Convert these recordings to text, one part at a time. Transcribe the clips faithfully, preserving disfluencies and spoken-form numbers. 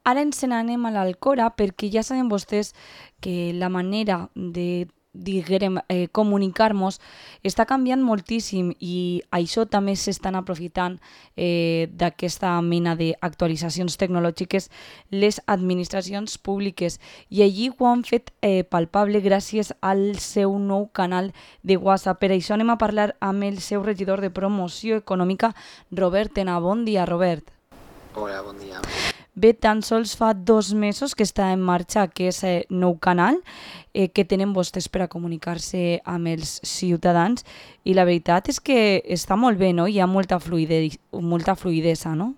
Ara ens n'anem a l'Alcora perquè ja saben vostès que la manera de diguérem, eh, comunicar-nos està canviant moltíssim i això també s'estan aprofitant eh, d'aquesta mena d'actualitzacions tecnològiques les administracions públiques i allí ho han fet eh, palpable gràcies al seu nou canal de WhatsApp. Per això anem a parlar amb el seu regidor de promoció econòmica, Robert Tena. Bon dia, Robert. Hola, bon dia. Bé, tan sols fa dos mesos que està en marxa aquest eh, nou canal eh, que tenen vostès per a comunicar-se amb els ciutadans i la veritat és que està molt bé, no? Hi ha molta, fluide, molta fluidesa, no?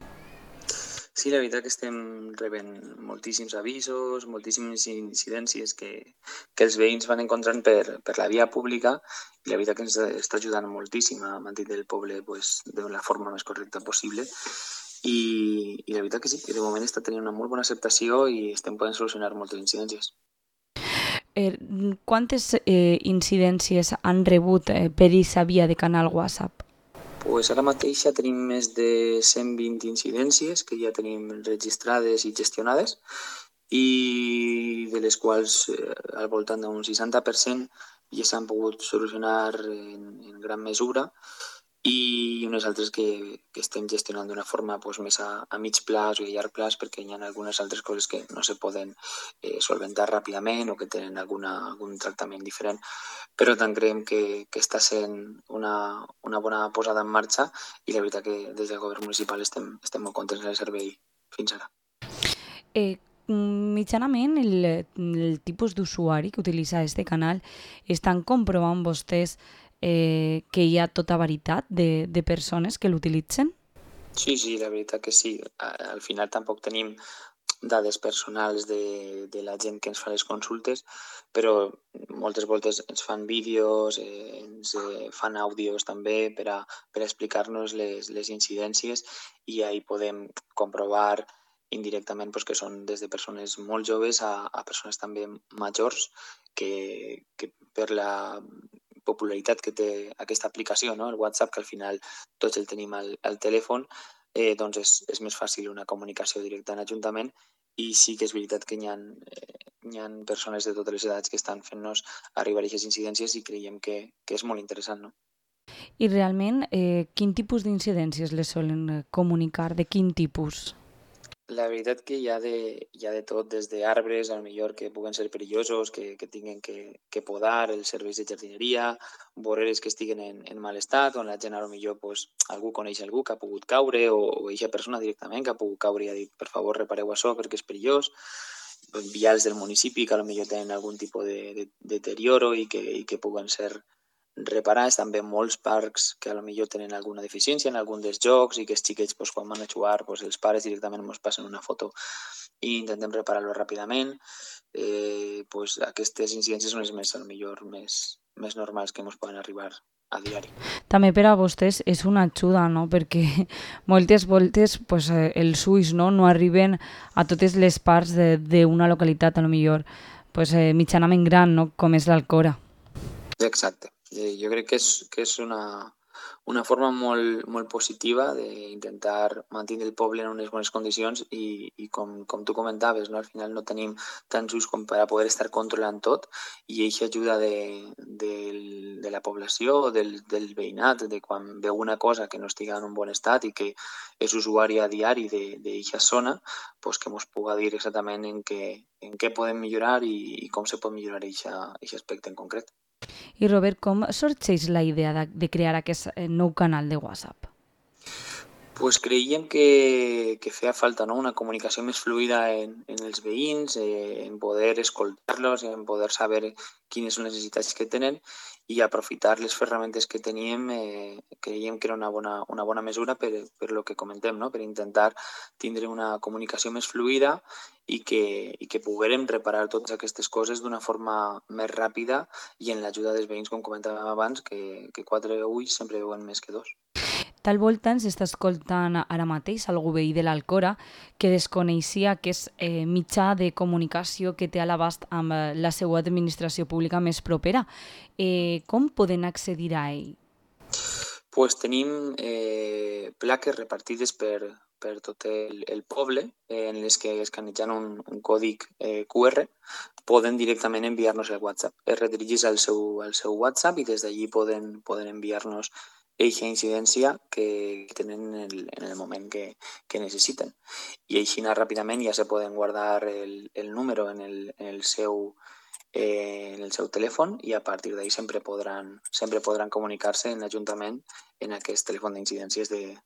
Sí, la veritat que estem rebent moltíssims avisos, moltíssimes incidències que, que els veïns van encontrant per, per la via pública i la veritat que ens està ajudant moltíssim a mantenir el poble pues, de la forma més correcta possible. I, i la veritat que sí, que de moment està tenint una molt bona acceptació i estem podent solucionar moltes incidències. Eh, quantes eh, incidències han rebut eh, per aquesta via de canal WhatsApp? Pues ara mateix ja tenim més de cent vint incidències que ja tenim registrades i gestionades i de les quals eh, al voltant d'un seixanta per cent ja s'han pogut solucionar en, en gran mesura i unes altres que, que estem gestionant d'una forma pues, més a, a mig plaç o a llarg plaç perquè hi ha algunes altres coses que no se poden eh, solventar ràpidament o que tenen alguna, algun tractament diferent. Però tant creiem que, que està sent una, una bona posada en marxa i la veritat que des del govern municipal estem, estem molt contents del servei fins ara. Eh, mitjanament el, el tipus d'usuari que utilitza este canal estan comprovant vostès eh, que hi ha tota veritat de, de persones que l'utilitzen? Sí, sí, la veritat que sí. Al final tampoc tenim dades personals de, de la gent que ens fa les consultes, però moltes voltes ens fan vídeos, eh, ens eh, fan àudios també per a, per a explicar-nos les, les incidències i ahí podem comprovar indirectament pues, que són des de persones molt joves a, a persones també majors que, que per la popularitat que té aquesta aplicació, no? El WhatsApp, que al final tots el tenim al, al telèfon, eh, doncs és, és més fàcil una comunicació directa en Ajuntament i sí que és veritat que hi ha, eh, hi ha persones de totes les edats que estan fent-nos arribar a aquestes incidències i creiem que, que és molt interessant, no? I realment, eh, quin tipus d'incidències les solen eh, comunicar? De quin tipus? La veritat que hi ha de, hi ha de tot, des d'arbres, al millor que puguen ser perillosos, que, que tinguin que, que podar, els serveis de jardineria, voreres que estiguen en, en mal estat, on la gent a lo millor pues, algú coneix algú que ha pogut caure o, o eixa persona directament que ha pogut caure i ha dit per favor repareu això perquè és perillós, vials del municipi que a lo millor tenen algun tipus de, de, de deterioro i que, i que puguen ser reparats, també molts parcs que a lo millor tenen alguna deficiència en algun dels jocs i que els xiquets pues, quan van a jugar pues, els pares directament ens passen una foto i intentem reparar-lo ràpidament. Eh, pues, aquestes incidències són les més, a lo millor, més, més normals que ens poden arribar a diari. També per a vostès és una ajuda, no? Perquè moltes voltes pues, eh, els ulls no, no arriben a totes les parts d'una localitat, a lo millor pues, eh, mitjanament gran, no? Com és l'Alcora. Exacte. Eh, jo crec que és, que és una, una forma molt, molt positiva d'intentar mantenir el poble en unes bones condicions i, i com, com tu comentaves, no? Al final no tenim tants ulls com per a poder estar controlant tot i això ajuda de, de, de la població, del, del veïnat, de quan veu una cosa que no estigui en un bon estat i que és usuari a diari d'aquesta zona, pues que ens puga dir exactament en què, en què podem millorar i, i com se pot millorar aquest aspecte en concret. I Robert, com sorgeix la idea de, de crear aquest eh, nou canal de WhatsApp? Pues creiem que, que feia falta no? Una comunicació més fluida en, en els veïns, eh, en poder escoltar-los, en poder saber quines són les necessitats que tenen i aprofitar les ferramentes que teníem, eh, creiem que era una bona, una bona mesura per, per lo que comentem, no? Per intentar tindre una comunicació més fluida i que, i que poguérem reparar totes aquestes coses d'una forma més ràpida i en l'ajuda dels veïns, com comentàvem abans, que, que quatre ulls sempre veuen més que dos. Tal volta ens està escoltant ara mateix algú veí de l'Alcora que desconeixia que és eh, mitjà de comunicació que té a l'abast amb eh, la seva administració pública més propera. Eh, com poden accedir a ell? Pues tenim eh, plaques repartides per, per tot el, el poble, eh, en les que escanejant un, un còdic eh, Q R poden directament enviar-nos el WhatsApp. Es redirigeix al seu, al seu WhatsApp i des d'allí poden, poden enviar-nos eixa incidència que tenen en el, en el moment que, que necessiten. I així ràpidament ja se poden guardar el, el número en el, en el seu eh, en el seu telèfon i a partir d'ahí sempre podran, sempre podran comunicar-se en l'Ajuntament en aquest telèfon d'incidències de,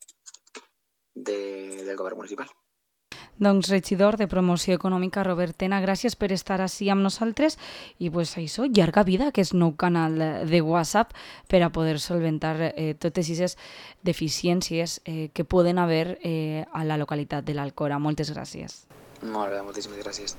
de, del govern municipal. Doncs regidor de Promoció Econòmica, Robert Tena, gràcies per estar així amb nosaltres i pues, això, llarga vida, que és nou canal de WhatsApp per a poder solventar eh, totes aquestes deficiències eh, que poden haver eh, a la localitat de l'Alcora. Moltes gràcies. Molt bé, moltíssimes gràcies.